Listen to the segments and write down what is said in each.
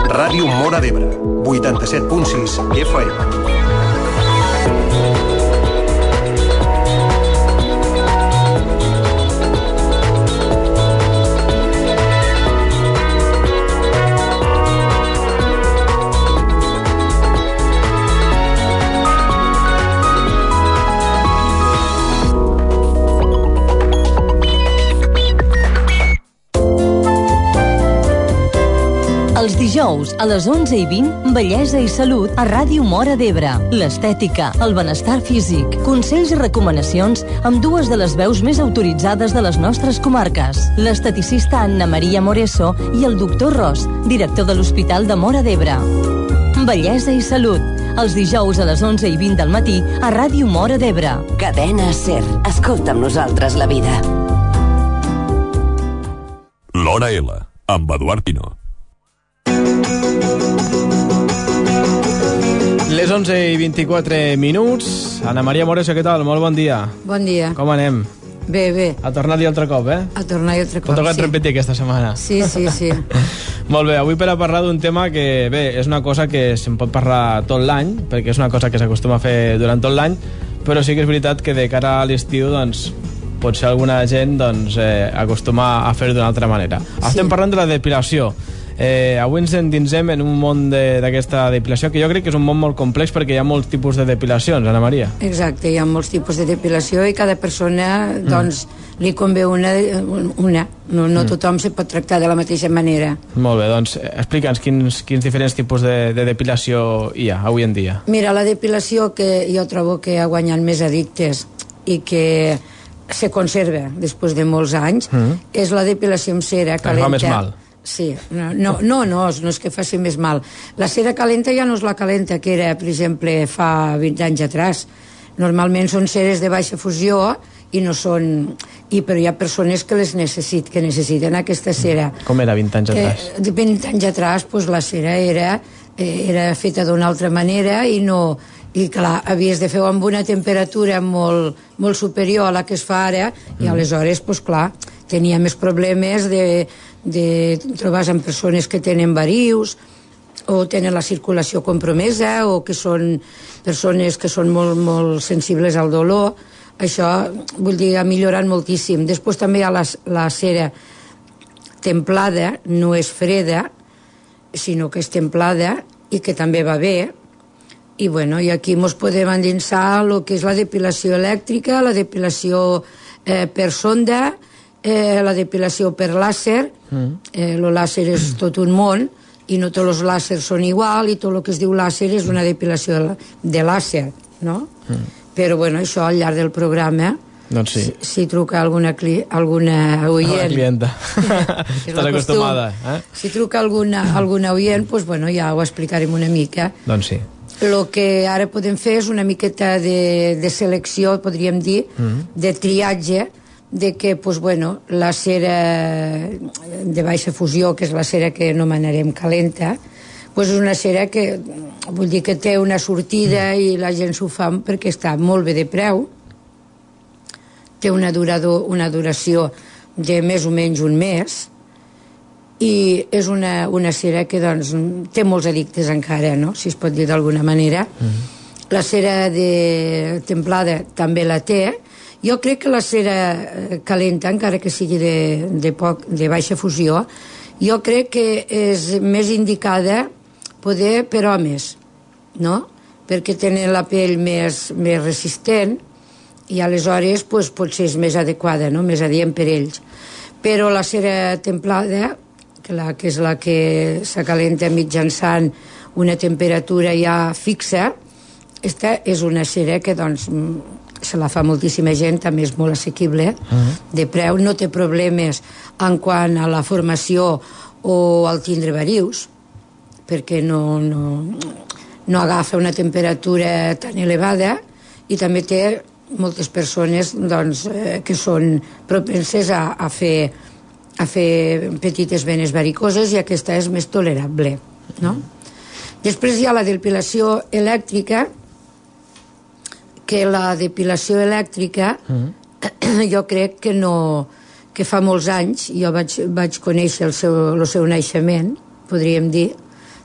Ràdio Móra d'Ebre, 87.6 FM. Els dijous, a les 11:20, Bellesa i Salut a Ràdio Móra d'Ebre. L'estètica, el benestar físic, consells i recomanacions amb dues de les veus més autoritzades de les nostres comarques. L'esteticista Anna Maria Moreso i el doctor Ros, director de l'Hospital de Móra d'Ebre. Bellesa i Salut, els dijous a les 11:20 del matí a Ràdio Móra d'Ebre. Cadena SER. Escolta amb nosaltres la vida. L'Hora L, amb Eduard Pino. Les 11:24. Anna Maria Moreso, què tal? Molt bon dia. Bon dia. Com anem? Bé, bé. A tornar-hi altre cop, eh? A tornar-hi altre cop, T'ha tocat repetir aquesta setmana. Sí. Molt bé, avui per a parlar d'un tema que, bé, és una cosa que se'n pot parlar tot l'any, perquè és una cosa que s'acostuma a fer durant tot l'any, però sí que és veritat que de cara a l'estiu, doncs, potser alguna gent doncs, acostuma a fer-ho d'una altra manera. Estem parlant de la depilació. Avui ens endinsem en un món d'aquesta depilació, que jo crec que és un món molt complex perquè hi ha molts tipus de depilacions, Anna Maria. Exacte, hi ha molts tipus de depilació i cada persona doncs, li convé una. No tothom se pot tractar de la mateixa manera. Molt bé, doncs explica'ns quins diferents tipus de depilació hi ha avui en dia. Mira, la depilació que jo trobo que ha guanyat més addictes i que se conserva després de molts anys és la depilació amb cera calenta. Fa més mal. Sí, no és que faci més mal. La cera calenta ja no és la calenta que era, per exemple, fa 20 anys atrás. Normalment són ceres de baixa fusió i no són... però hi ha persones que necessiten aquesta cera. Com era 20 anys atrás? 20 anys atrás, doncs, la cera era feta d'una altra manera i clar, havies de fer-ho amb una temperatura molt superior a la que es fa ara i aleshores, doncs clar, tenia més problemes de trobar-se amb persones que tenen varius o tenen la circulació compromesa o que són persones que són molt sensibles al dolor. Això, vull dir, ha millorat moltíssim. Després també hi ha la cera templada, no és freda, sinó que és templada i que també va bé. I aquí ens podem endinsar el que és la depilació elèctrica, la depilació per sonda, la depilació per làser. El làser és tot un món i no tots els làsers són igual i tot el que es diu làser és una depilació de làser, no? Però això al llarg del programa, doncs sí, si truca alguna oient, la clienta estàs acostumada, si truca alguna oient, doncs ja ho explicarem una mica. Doncs sí. El que ara podem fer és una miqueta de selecció, podríem dir, de triatge, de que la cera de baixa fusió, que és la cera que anomenarem calenta, és una cera que vull dir que té una sortida i la gent s'ho fa perquè està molt bé de preu, té una duració de més o menys un mes i és una cera que té molts addictes encara, no? Si es pot dir d'alguna manera. La cera templada també la té. Jo crec que la cera calenta, encara que sigui de baixa fusió, jo crec que és més indicada poder per homes, no? Perquè tenen la pell més resistent i aleshores potser és més adequada, no? Més adient per ells. Però la cera templada, que és la que s'acalenta mitjançant una temperatura ja fixa, aquesta és una cera que se la fa moltíssima gent, també és molt assequible de preu, no té problemes en quant a la formació o al tindre varius, perquè no agafa una temperatura tan elevada i també té moltes persones que són propenses a fer petites venes varicoses i aquesta és més tolerable, no? Després hi ha la depilació elèctrica, que la depilació elèctrica jo crec que que fa molts anys jo vaig conèixer el seu naixement, podríem dir,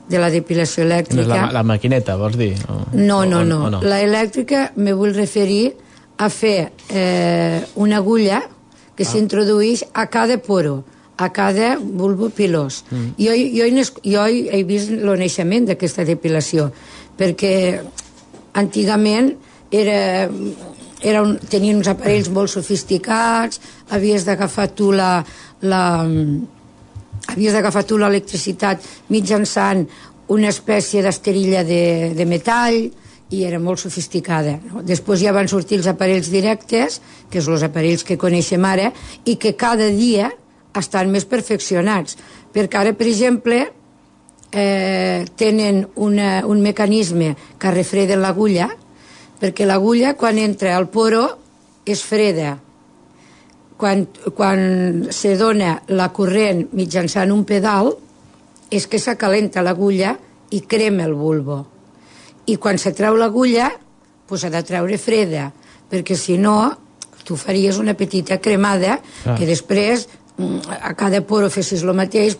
de la depilació elèctrica. La maquineta, vols dir? No. La elèctrica me vull referir a fer una agulla que s'introdueix a cada poro, a cada bulbo pilós. Jo he vist el naixement d'aquesta depilació, perquè antigament tenien uns aparells molt sofisticats, havies d'agafar tu l'electricitat mitjançant una espècie d'esterilla de metall, i era molt sofisticada. Després ja van sortir els aparells directes, que són els aparells que coneixem ara, i que cada dia estan més perfeccionats. Perquè ara, per exemple, tenen un mecanisme que refreda l'agulla, perquè l'agulla, quan entra al poro, és freda. Quan se dona la corrent mitjançant un pedal, és que s'acalenta l'agulla i crema el bulbo. I quan se treu l'agulla, s'ha de treure freda, perquè si no, tu faries una petita cremada que després, a cada poro fessis el mateix,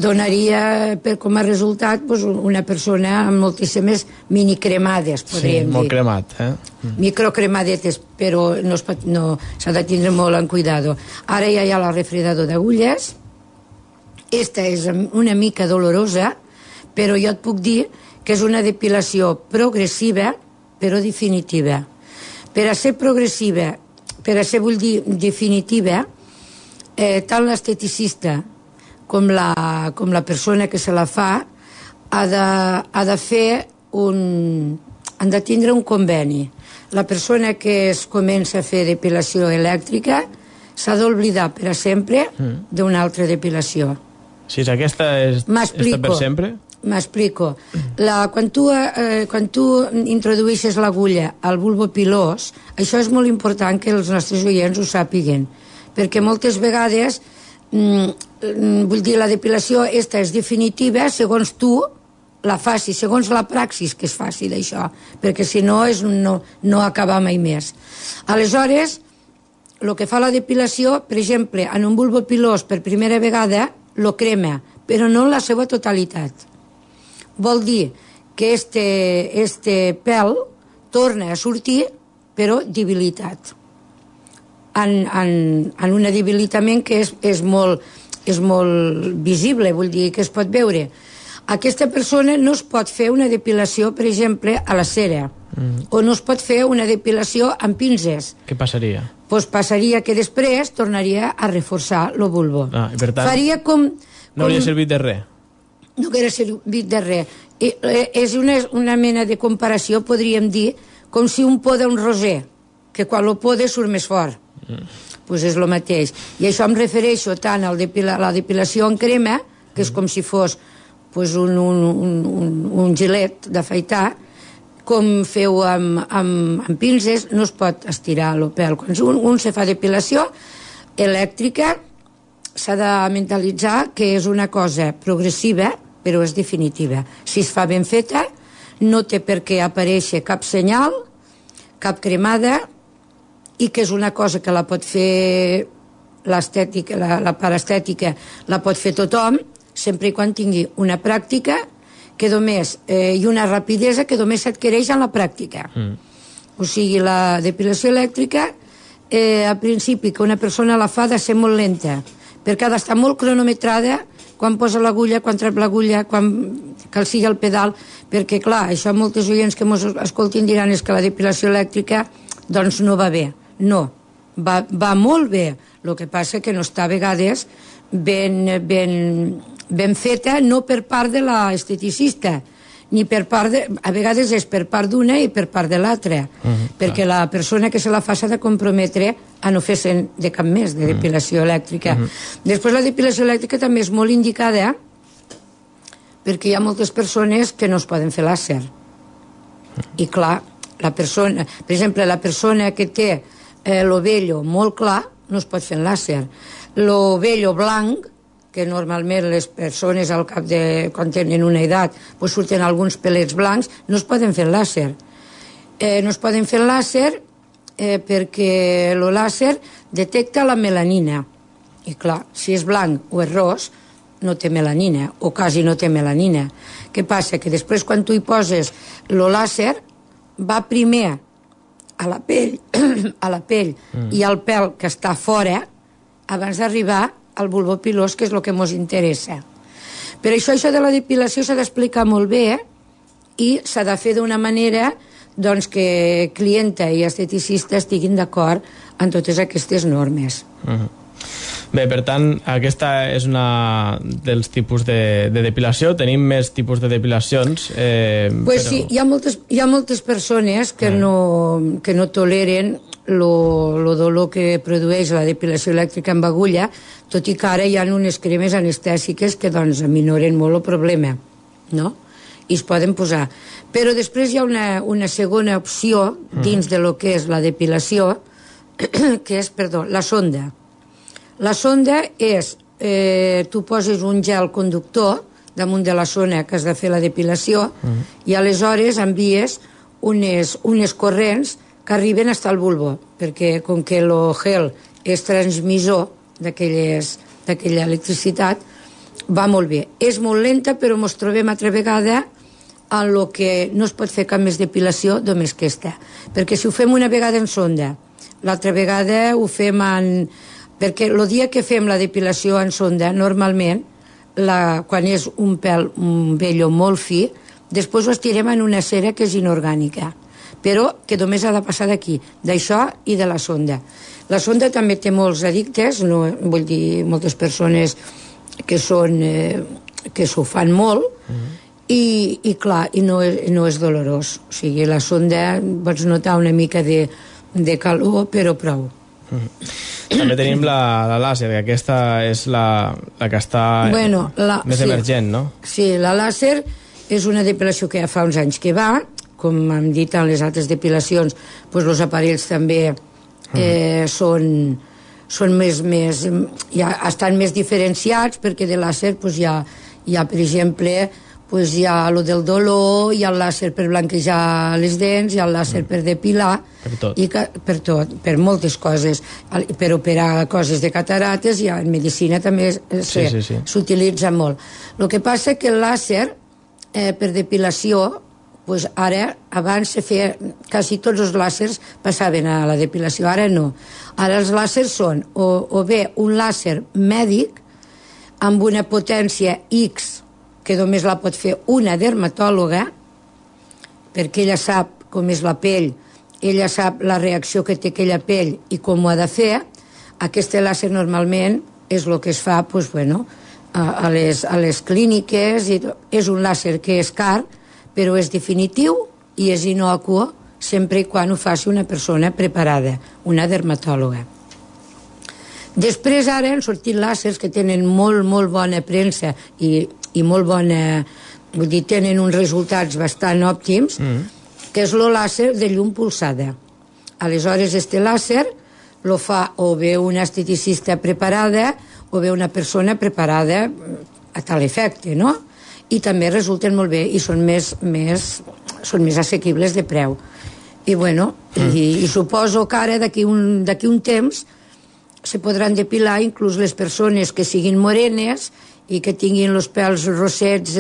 donaria com a resultat una persona amb moltíssimes minicremades, podríem dir. Sí, molt cremat, Microcremadetes, però s'ha de tindre molt en cuidado. Ara ja hi ha el refredador d'agulles. Esta és una mica dolorosa, però jo et puc dir que és una depilació progressiva, però definitiva. Per a ser progressiva, vull dir definitiva, tant l'esteticista com la persona que se la fa ha de fer han de tindre un conveni. La persona que es comença a fer depilació elèctrica s'ha d'oblidar per sempre d'una altra depilació. Si aquesta és per sempre? M'explico. Quan tu introdueixes l'agulla al bulbo pilós, això és molt important que els nostres oients ho sàpiguen, perquè moltes vegades, vull dir, la depilació esta és definitiva segons tu la facis, segons la praxis que es faci d'això, perquè si no no acaba mai més. Aleshores, el que fa la depilació, per exemple, en un bulbo pilós per primera vegada, lo crema, però no en la seva totalitat. Vol dir que este pèl torna a sortir, però debilitat. En un debilitament que és molt visible, vull dir que es pot veure. Aquesta persona no es pot fer una depilació, per exemple, a la cera, o no es pot fer una depilació amb pinces. Què passaria? Doncs passaria que després tornaria a reforçar el bulbo. I per tant, faria com... no hauria servit de res. No hauria servit de res. És una mena de comparació, podríem dir, com si un poda un roser, que quan lo poda surt més fort. Doncs és el mateix. I això em refereixo tant a la depilació en crema, que és com si fos un gilet d'afaitar, com feu amb pinces, no es pot estirar el pèl. Quan un se fa depilació elèctrica, s'ha de mentalitzar que és una cosa progressiva, però és definitiva. Si es fa ben feta, no té per què aparèixer cap senyal, cap cremada, i que és una cosa que la pot fer l'estètica, la part estètica la pot fer tothom, sempre i quan tingui una pràctica i una rapidesa que només s'adquireix en la pràctica. O sigui, la depilació elèctrica, al principi, que una persona la fa, ha de ser molt lenta, perquè ha d'estar molt cronometrada quan posa l'agulla, quan trep l'agulla, quan cal sigui el pedal, perquè, clar, això moltes oients que ens escoltin diran és que la depilació elèctrica doncs no va bé. No, va molt bé. El que passa que no està a vegades ben feta, no per part de l'esteticista, ni per part a vegades és per part d'una i per part de l'altra, perquè la persona que se la fa s'ha de comprometre a no fer-se'n de cap més de depilació elèctrica. Després, la depilació elèctrica també és molt indicada perquè hi ha moltes persones que no es poden fer làser. I clar, per exemple, la persona que té l'ovello molt clar no es pot fer en làser. L'ovello blanc, que normalment les persones al cap de quan tenen una edat surten alguns pelets blancs, no es poden fer làser. No es poden fer làser perquè el làser detecta la melanina. I clar, si és blanc o és ros, no té melanina, o quasi no té melanina. Què passa? Que després quan tu hi poses el làser, va primer a la pell, i al pèl que està fora, abans d'arribar al bulbo pilós, que és el que ens interessa. Per això de la depilació s'ha d'explicar molt bé, i s'ha de fer d'una manera doncs, que clienta i esteticista estiguin d'acord en totes aquestes normes. Bé, per tant, aquesta és una dels tipus de depilació. Tenim més tipus de depilacions. Pues sí, hi ha moltes persones que no toleren el dolor que produeix la depilació elèctrica amb agulla, tot i que ara hi ha unes cremes anestèsiques que doncs, aminoren molt el problema, no? I es poden posar. Però després hi ha una segona opció dins de lo que és la depilació, que és, la sonda. La sonda és, tu poses un gel conductor damunt de la zona que has de fer la depilació i aleshores envies unes corrents que arriben fins al bulbo, perquè com que el gel és transmissor d'aquella electricitat, va molt bé. És molt lenta, però ens trobem altra vegada en el que no es pot fer cap més depilació només aquesta. Perquè si ho fem una vegada en sonda, l'altra vegada ho fem en... Perquè el dia que fem la depilació en sonda, normalment, quan és un pèl, un vello molt fi, després ho estirem en una cera que és inorgànica, però que només ha de passar d'aquí, d'això i de la sonda. La sonda també té molts addictes, vull dir, moltes persones que s'ho fan molt, i clar, i no és dolorós. O sigui, la sonda pots notar una mica de calor, però prou. També tenim la làser, que aquesta és la que està més emergent, no? Sí, la làser és una depilació que ja fa uns anys que va, com hem dit en les altres depilacions, doncs els aparells també són més estan més diferenciats, perquè de làser hi ha, per exemple, hi ha el del dolor, hi ha el làser per blanquejar les dents, hi ha el làser per depilar, per tot, per moltes coses, per operar coses de catarates, i en medicina també s'utilitza molt. El que passa que el làser per depilació, ara, abans se feia, quasi tots els làsers passaven a la depilació, ara no. Ara els làsers són o bé un làser mèdic amb una potència X, que només la pot fer una dermatòloga, perquè ella sap com és la pell, ella sap la reacció que té aquella pell i com ho ha de fer. Aquest làser normalment és el que es fa a les clíniques. És un làser que és car, però és definitiu i és innocu sempre i quan ho faci una persona preparada, una dermatòloga. Després ara han sortit làsers que tenen molt bona premsa i molt bona, vull dir, tenen uns resultats bastant òptims, que és el làser de llum pulsada. Aleshores, este làser lo fa o bé una esteticista preparada o bé una persona preparada a tal efecte, no? I també resulten molt bé i són més assequibles de preu. I suposo que ara, d'aquí un temps, se podran depilar inclús les persones que siguin morenes i que tinguin els pèls rossets,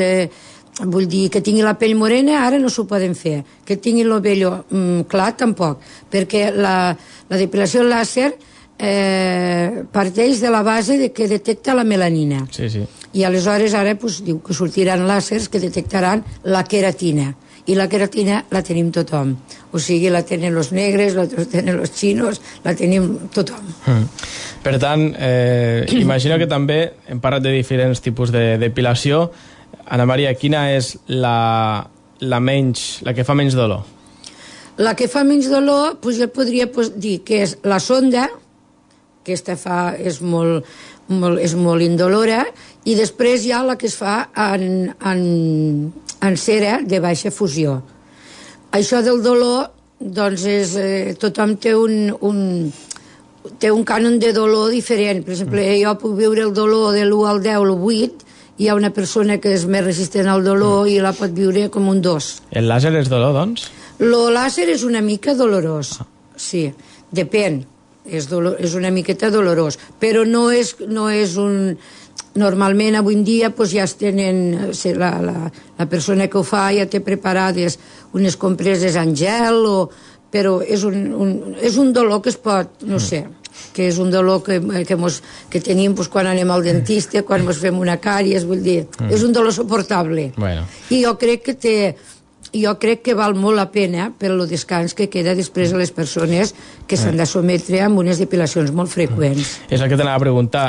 vull dir, que tinguin la pell morena, ara no s'ho poden fer. Que tinguin el vello clar, tampoc, perquè la depilació làser parteix de la base que detecta la melanina. I aleshores ara diu que sortiran làsers que detectaran la queratina. I la queratina la tenim tothom. O sigui, la tenen els negres, la tenen els xinos, la tenim tothom. Per tant, imagino que també hem parlat de diferents tipus de depilació. Ana Maria, quina és la que fa menys dolor? La que fa menys dolor, jo podria dir que és la sonda, que és molt indolora, i després hi ha la que es fa en cera de baixa fusió. Això del dolor, doncs, tothom té un cànon de dolor diferent. Per exemple, jo puc viure el dolor de l'1 al 10, l'8, hi ha una persona que és més resistent al dolor i la pot viure com un 2. El làser és dolor, doncs? El làser és una mica dolorós, sí, depèn. és una miqueta dolorós, però no és un... Normalment avui en dia ja es tenen, la persona que ho fa ja té preparades unes compreses en gel, però és un dolor que es pot, no sé, que és un dolor que tenim quan anem al dentista, quan ens fem una càries, vull dir, és un dolor suportable. I jo crec que val molt la pena per el descans que queda després a les persones que s'han de sometre amb unes depilacions molt freqüents. És el que t'anava a preguntar.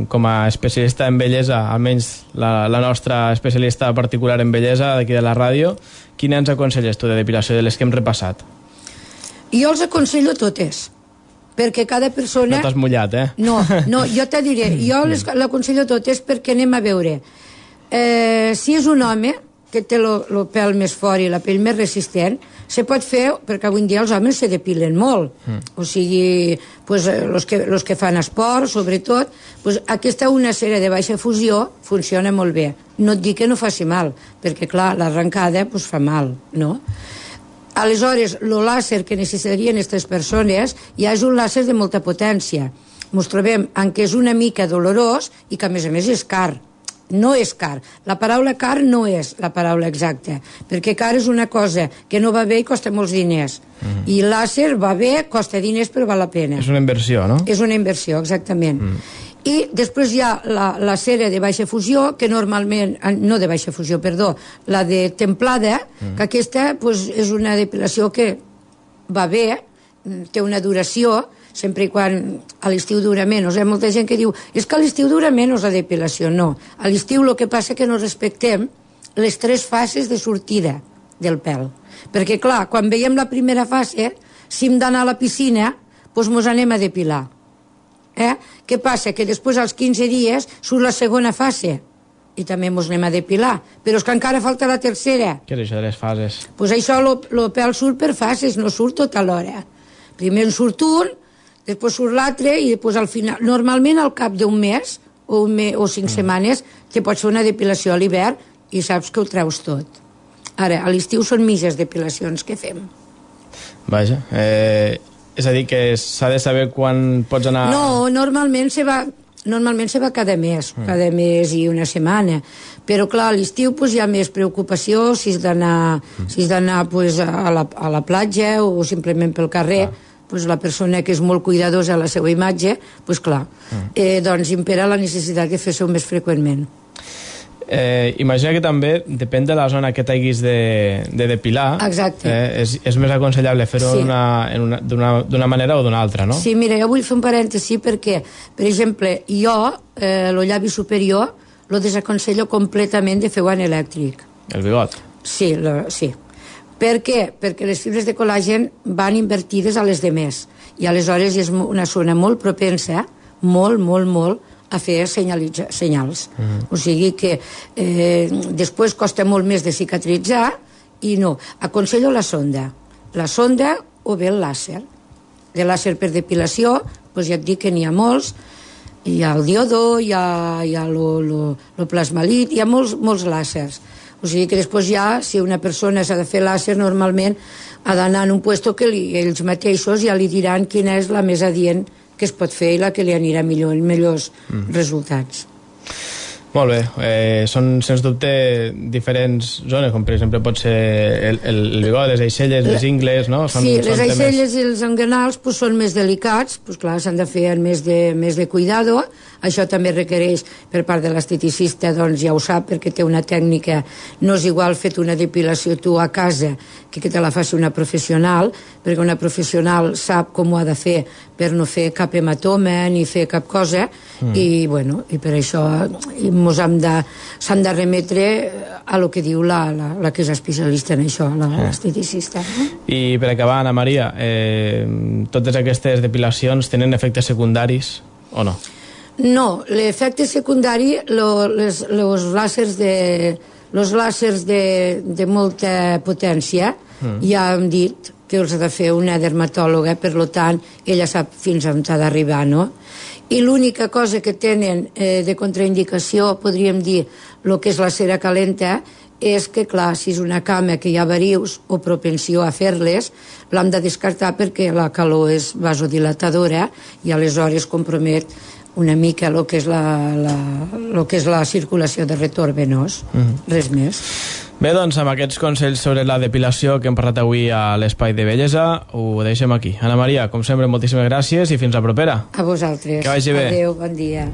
Com a especialista en bellesa, almenys la nostra especialista particular en bellesa d'aquí de la ràdio, quina ens aconselles tu de depilació de les que hem repassat? Jo els aconsello totes, perquè cada persona... No t'has mullat, eh? No, jo te diré, jo l'aconsello totes perquè anem a veure. Si és un home que té el pèl més fort i la pell més resistent, se pot fer, perquè avui en dia els homes se depilen molt. O sigui, els que fan esport, sobretot, aquesta una cera de baixa fusió funciona molt bé. No et dic que no faci mal, perquè, clar, l'arrencada fa mal, no? Aleshores, el làser que necessitarien aquestes persones ja és un làser de molta potència. Ens trobem en què és una mica dolorós i que, a més, és car. No és car. La paraula car no és la paraula exacta, perquè car és una cosa que no va bé i costa molts diners. I làser va bé, costa diners, però val la pena. És una inversió, no? És una inversió, exactament. I després hi ha la cera de baixa fusió, que normalment... No de baixa fusió, perdó. La de templada, que aquesta és una depilació que va bé, té una duració, sempre i quan a l'estiu dura menys. Hi ha molta gent que diu, és que a l'estiu dura menys la depilació. No, a l'estiu el que passa és que no respectem les 3 fases de sortida del pèl. Perquè, clar, quan veiem la primera fase, si hem d'anar a la piscina, doncs mos anem a depilar. Què passa? Que després, als 15 dies, surt la segona fase i també mos anem a depilar. Però és que encara falta la tercera. Què és això de les fases? Doncs això, el pèl surt per fases, no surt tota l'hora. Primer en surt un, després surt l'altre i després al final... Normalment al cap d'un mes o 5 setmanes te pots fer una depilació a l'hivern i saps que ho treus tot. Ara, a l'estiu són mitges depilacions que fem. Vaja, és a dir que s'ha de saber quan pots anar... No, normalment se va cada mes i una setmana. Però clar, a l'estiu hi ha més preocupació si has d'anar a la platja o simplement pel carrer. La persona que és molt cuidadosa a la seva imatge, doncs clar, doncs impera la necessitat de fer-ho més freqüentment. Imagina que també depèn de la zona que t'haguis de depilar. Exacte. És més aconsellable fer-ho d'una manera o d'una altra, no? Sí, mira, jo vull fer un parèntesi perquè, per exemple, jo, el llavi superior, lo desaconsello completament de fer-ho en elèctric. El bigot? Sí, sí. Per què? Perquè les fibres de col·làgen van invertides a les demés i aleshores és una zona molt propensa, molt, a fer senyals. O sigui que després costa molt més de cicatritzar i no. Aconsello la sonda o bé el làser. De làser per depilació, doncs ja et dic que n'hi ha molts. Hi ha el diodor, hi ha el plasmalit, hi ha molts làsers. O sigui que després ja, si una persona s'ha de fer làser, normalment ha d'anar en un lloc que ells mateixos ja li diran quina és la més adient que es pot fer i la que li anirà millor, millors resultats. Molt bé, són sens dubte diferents zones, com per exemple pot ser el bigot, les aixelles, les ingles, no? Sí, les aixelles i els enganals són més delicats, clar, s'han de fer amb més de cuidado. Això també requereix per part de l'esteticista, doncs ja ho sap, perquè té una tècnica. No és igual fer una depilació tu a casa que te la faci una professional, perquè una professional sap com ho ha de fer per no fer cap hematoma ni fer cap cosa, i per això s'han de remetre a lo que diu la que és especialista en això, l'esteticista. I per acabar, Ana Maria, totes aquestes depilacions tenen efectes secundaris o no? No, l'efecte secundari, els làsers de molta potència, ja hem dit que els ha de fer una dermatòloga, per tant, ella sap fins on ha d'arribar, no? I l'única cosa que tenen de contraindicació, podríem dir, el que és la cera calenta, és que, clar, si és una cama que hi ha varius o propensió a fer-les, l'hem de descartar perquè la calor és vasodilatadora i aleshores compromet una mica el que és la circulació de retorn venós. Res més. Bé, doncs, amb aquests consells sobre la depilació que hem parlat avui a l'Espai de Bellesa, ho deixem aquí. Anna Maria, com sempre, moltíssimes gràcies i fins la propera. A vosaltres. Que vagi bé. Adéu, bon dia.